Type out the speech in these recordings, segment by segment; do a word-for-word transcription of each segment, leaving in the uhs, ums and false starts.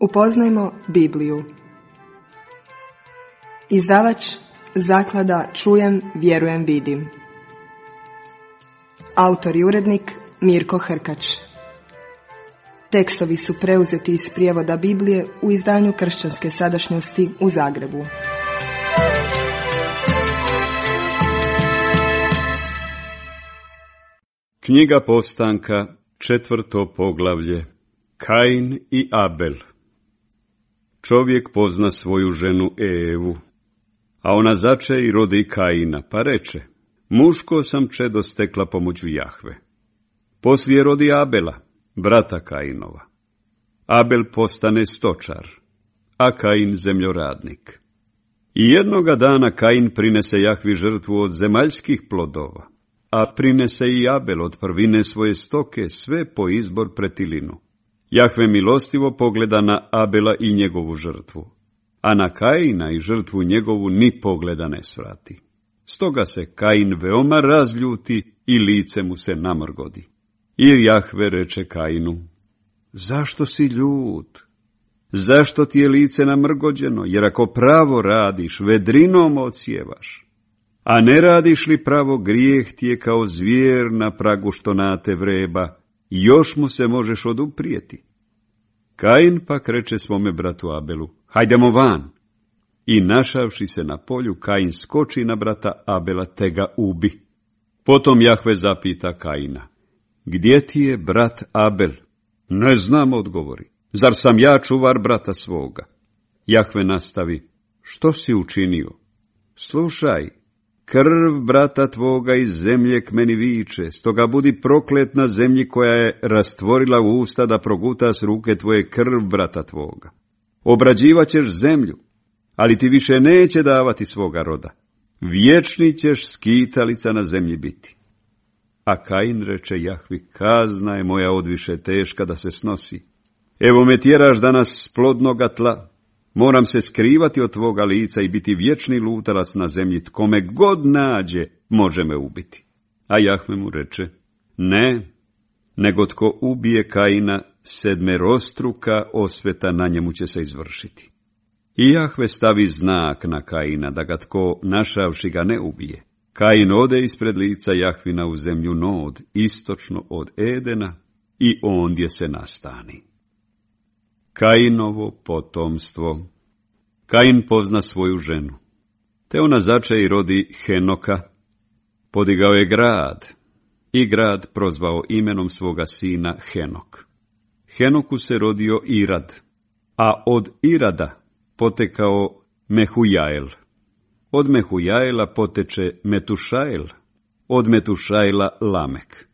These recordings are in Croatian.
Upoznajmo Bibliju. Izdavač Zaklada Čujem, vjerujem, vidim. Autor i urednik Mirko Hrkač. Tekstovi su preuzeti iz prijevoda Biblije u izdanju Kršćanske sadašnjosti u Zagrebu. Knjiga Postanka, četvrto poglavlje. Kain i Abel. Čovjek pozna svoju ženu Evu, a ona zače i rodi Kaina, pa reče: muško sam čedo stekla pomoću Jahve. Poslije rodi Abela, brata Kainova. Abel postane stočar, a Kain zemljoradnik. I jednoga dana Kain prinese Jahvi žrtvu od zemaljskih plodova, a prinese i Abel od prvine svoje stoke, sve po izbor pretilinu. Jahve milostivo pogleda na Abela i njegovu žrtvu, a na Kaina i žrtvu njegovu ni pogleda ne svrati. Stoga se Kain veoma razljuti i lice mu se namrgodi. I Jahve reče Kainu: zašto si ljut? Zašto ti je lice namrgođeno? Jer ako pravo radiš, vedrinom odsjevaš. A ne radiš li pravo, grijeh ti je kao zvijer na pragu što nate vreba, još mu se možeš oduprijeti. Kain pak reče svome bratu Abelu: hajdemo van. I našavši se na polju, Kain skoči na brata Abela te ga ubi. Potom Jahve zapita Kaina: gdje ti je brat Abel? Ne znam, odgovori. Zar sam ja čuvar brata svoga? Jahve nastavi: što si učinio? Slušaj, krv brata tvoga iz zemlje k meni viče, stoga budi proklet na zemlji koja je rastvorila usta da proguta s ruke tvoje krv brata tvoga. Obrađivat ćeš zemlju, ali ti više neće davati svoga roda. Vječni ćeš skitalica na zemlji biti. A Kain reče Jahvi: kazna je moja odviše teška da se snosi. Evo me tjeraš danas s plodnoga tla. Moram se skrivati od tvoga lica i biti vječni lutalac na zemlji. Tko me god nađe, može me ubiti. A Jahve mu reče: ne, nego tko ubije Kaina, sedmerostruka osveta na njemu će se izvršiti. I Jahve stavi znak na Kaina, da ga tko, našavši ga, ne ubije. Kain ode ispred lica Jahvina u zemlju Nod, istočno od Edena, i ondje se nastani. Kainovo potomstvo. Kain pozna svoju ženu, te ona zače i rodi Henoka. Podigao je grad, i grad prozvao imenom svoga sina Henok. Henoku se rodio Irad, a od Irada potekao Mehujael. Od Mehujaela poteče Metušael, od Metušaela Lamek.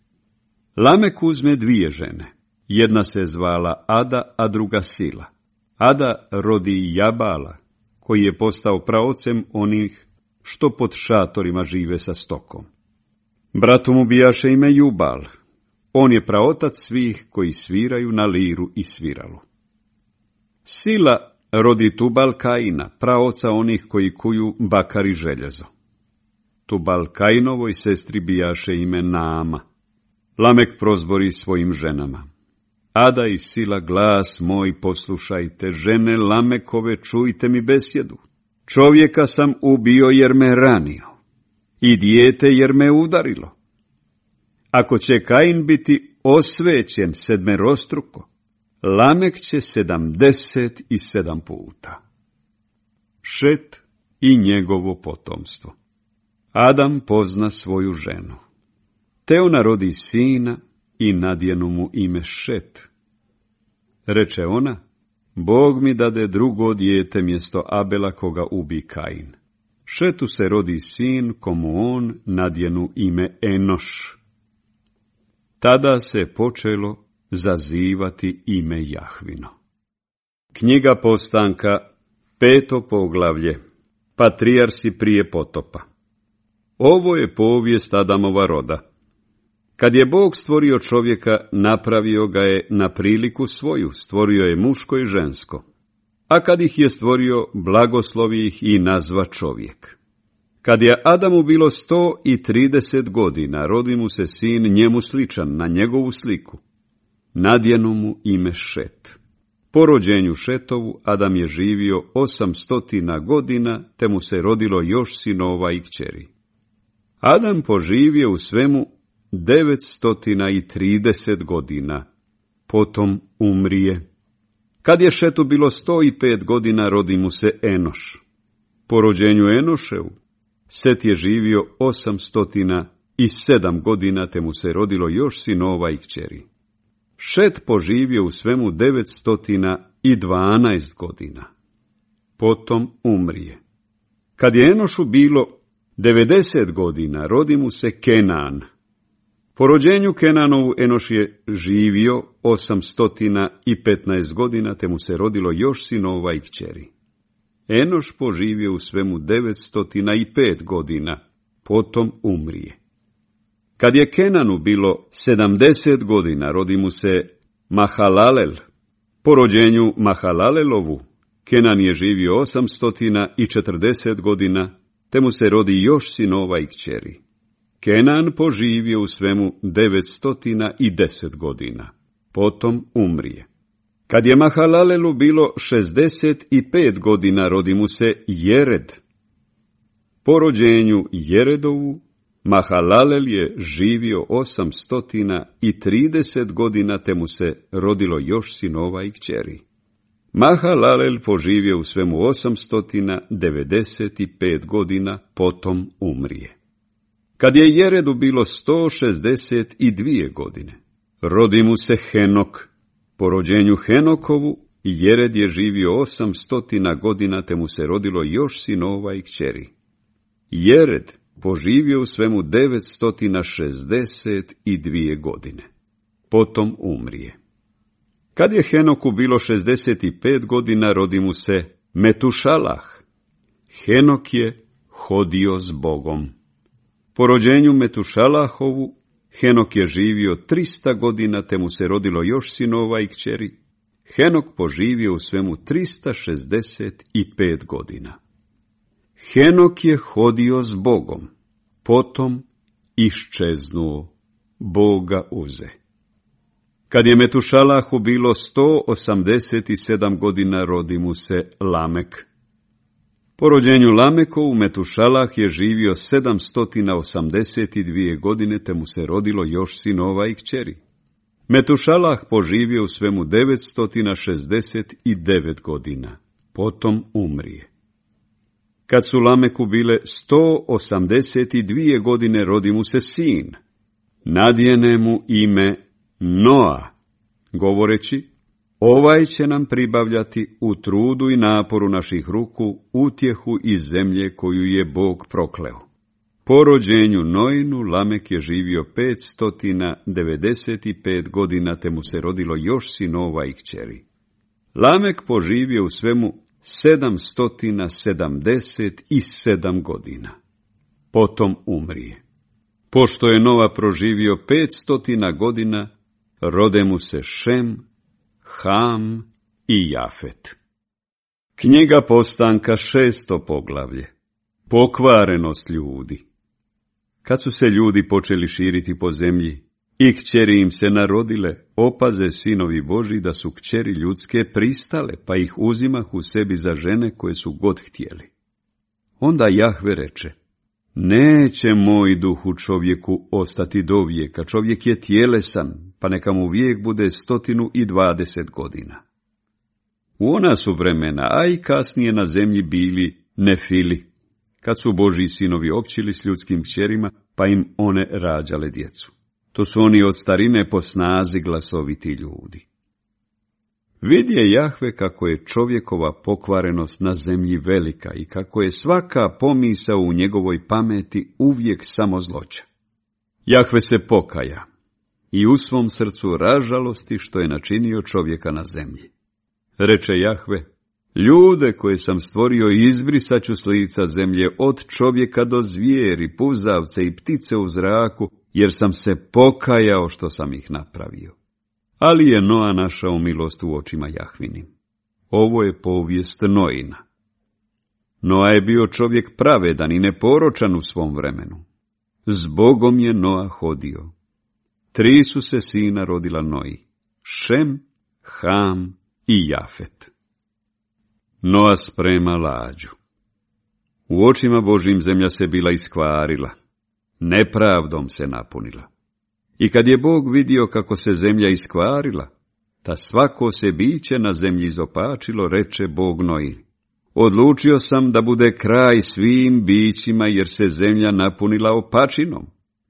Lamek uzme dvije žene. Jedna se zvala Ada, a druga Sila. Ada rodi Jabala, koji je postao praocem onih što pod šatorima žive sa stokom. Bratu mu bijaše ime Jubal. On je praotac svih koji sviraju na liru i sviralu. Sila rodi Tubal Kaina, praoca onih koji kuju bakar i željezo. Tubal Kainovoj sestri bijaše ime Naama. Lamek prozbori svojim ženama: Ada i Sila, glas moj poslušajte, žene Lamekove, čujte mi besjedu. Čovjeka sam ubio jer me ranio, i dijete jer me udarilo. Ako će Kain biti osvećen sedmerostruko, Lamek će sedamdeset i sedam puta. Šet i njegovo potomstvo. Adam pozna svoju ženu, te ona rodi sina i nadjenu mu ime Šet. Reče ona: Bog mi dade drugo dijete mjesto Abela koga ubi Kain. Šetu se rodi sin komu on nadjenu ime Enoš. Tada se počelo zazivati ime Jahvino. Knjiga Postanka, peto poglavlje. Patrijarsi prije potopa. Ovo je povijest Adamova roda. Kad je Bog stvorio čovjeka, napravio ga je na priliku svoju, stvorio je muško i žensko. A kad ih je stvorio, blagoslovi ih i nazva čovjek. Kad je Adamu bilo sto i trideset godina, rodi mu se sin njemu sličan, na njegovu sliku. Nadjenu mu ime Šet. Po rođenju Šetovu Adam je živio osamstotina godina, te mu se rodilo još sinova i kćeri. Adam poživio u svemu devetstotina i trideset godina, potom umrije. Kad je Šetu bilo sto i pet godina, rodi mu se Enoš. Po rođenju Enoševu Set je živio osamstotina i sedam godina, te mu se rodilo još sinova i kćeri. Šet poživio u svemu devetstotina i dvanaest godina, potom umrije. Kad je Enošu bilo devedeset godina, rodi mu se Kenan. Po rođenju Kenanovu Enoš je živio osamstotina i petnaest godina, te mu se rodilo još sinova i kćeri. Enoš poživio u svemu devetstotina i pet godina, potom umrije. Kad je Kenanu bilo sedamdeset godina, rodi mu se Mahalalel. Po rođenju Mahalalelovu, Kenan je živio osamstotina i četrdeset godina, te mu se rodi još sinova i kćeri. Kenan poživio u svemu devetstotina i deset godina, potom umrije. Kad je Mahalalelu bilo šezdeset i pet godina, rodi mu se Jered. Po rođenju Jeredovu, Mahalalel je živio osamstotina i trideset godina, te mu se rodilo još sinova i kćeri. Mahalalel poživio u svemu osamstotina devedeset i pet godina, potom umrije. Kad je Jeredu bilo sto šezdeset i dvije godine, rodi mu se Henok. Po rođenju Henokovu, Jered je živio osamstotina godina, te mu se rodilo još sinova i kćeri. Jered poživio u svemu devetstotina šezdeset i dvije godine, potom umrije. Kad je Henoku bilo šezdeset i pet godina, rodi mu se Metušalah. Henok je hodio s Bogom. Po rođenju Metušalahovu, Henok je živio trista godina, te mu se rodilo još sinova i kćeri. Henok poživio u svemu trista šezdeset i pet godina. Henok je hodio s Bogom, potom iščeznuo, Boga uze. Kad je Metušalahu bilo sto osamdeset i sedam godina, rodi mu se Lamek. Po rođenju Lamekovu, Metušalah je živio sedamstotina osamdeset dvije godine, te mu se rodilo još sinova i kćeri. Metušalah poživio u svemu devetstotina šezdeset devet godina, potom umrije. Kad su Lameku bile sto osamdeset dvije godine, rodi mu se sin. Nadjene mu ime Noa, govoreći: ovaj će nam pribavljati u trudu i naporu naših ruku utjehu iz zemlje koju je Bog prokleo. Po rođenju Noinu, Lamek je živio petstotina devedeset pet godina, te mu se rodilo još sinova i kćeri. Lamek poživio u svemu sedamstotina sedamdeset sedam godina, potom umrije. Pošto je Noa proživio petstotina godina, rode mu se Šem, Ham i Jafet. Knjiga Postanka, šesto poglavlje. Pokvarenost ljudi. Kad su se ljudi počeli širiti po zemlji i kćeri im se narodile, opaze sinovi Božji da su kćeri ljudske pristale, pa ih uzimahu sebi za žene koje su god htjeli. Onda Jahve reče: neće moj duh u čovjeku ostati do vijeka, čovjek je tjelesan, pa neka mu vijek bude stotinu i dvadeset godina. U ona su vremena, a i kasnije na zemlji bili Nefili, kad su Božji sinovi općili s ljudskim kćerima, pa im one rađale djecu. To su oni od starine po snazi glasoviti ljudi. Vidje Jahve kako je čovjekova pokvarenost na zemlji velika i kako je svaka pomisao u njegovoj pameti uvijek samo zloća. Jahve se pokaja i u svom srcu ražalosti što je načinio čovjeka na zemlji. Reče Jahve: ljude koje sam stvorio izbrisat ću s lica zemlje, od čovjeka do zvijeri, puzavce i ptice u zraku, jer sam se pokajao što sam ih napravio. Ali je Noa našao milost u očima Jahvinim. Ovo je povijest Noina. Noa je bio čovjek pravedan i neporočan u svom vremenu. S Bogom je Noa hodio. Tri su se sina rodila Noji: Šem, Ham i Jafet. Noa sprema lađu. U očima Božjim zemlja se bila iskvarila, nepravdom se napunila. I kad je Bog vidio kako se zemlja iskvarila, ta svako se biće na zemlji izopačilo, reče Bog Noji: odlučio sam da bude kraj svim bićima, jer se zemlja napunila opačinom.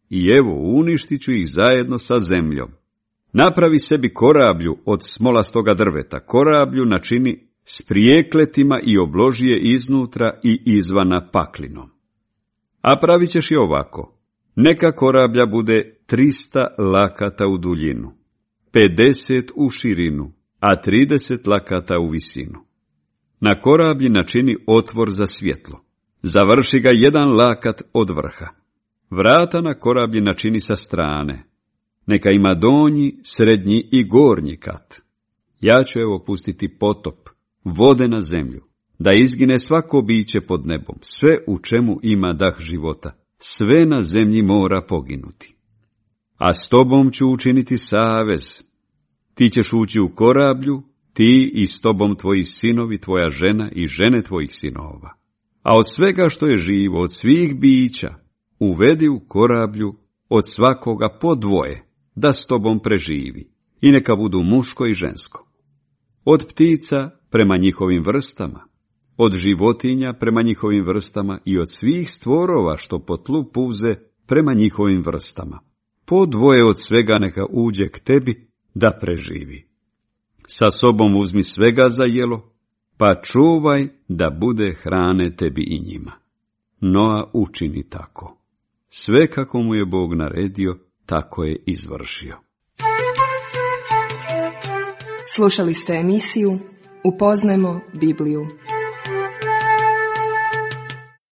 I evo, uništit ću ih zajedno sa zemljom. Napravi sebi korablju od smolastoga drveta, korablju načini s prijekletima i obloži je iznutra i izvana paklinom. A pravit ćeš je ovako: neka korablja bude trista lakata u duljinu, pedeset u širinu, a trideset lakata u visinu. Na korablji načini otvor za svjetlo, završi ga jedan lakat od vrha. Vrata na korablji načini sa strane, neka ima donji, srednji i gornji kat. Ja ću evo pustiti potop, vode na zemlju, da izgine svako biće pod nebom, sve u čemu ima dah života, sve na zemlji mora poginuti. A s tobom ću učiniti savez. Ti ćeš ući u korablju, ti i s tobom tvoji sinovi, tvoja žena i žene tvojih sinova. A od svega što je živo, od svih bića, uvedi u korablju od svakoga po dvoje, da s tobom preživi, i neka budu muško i žensko. Od ptica prema njihovim vrstama, od životinja prema njihovim vrstama i od svih stvorova što po tlu puze prema njihovim vrstama. Po dvoje od svega neka uđe k tebi da preživi. Sa sobom uzmi svega za jelo, pa čuvaj da bude hrane tebi i njima. Noa učini tako. Sve kako mu je Bog naredio, tako je izvršio. Slušali ste emisiju Upoznajmo Bibliju.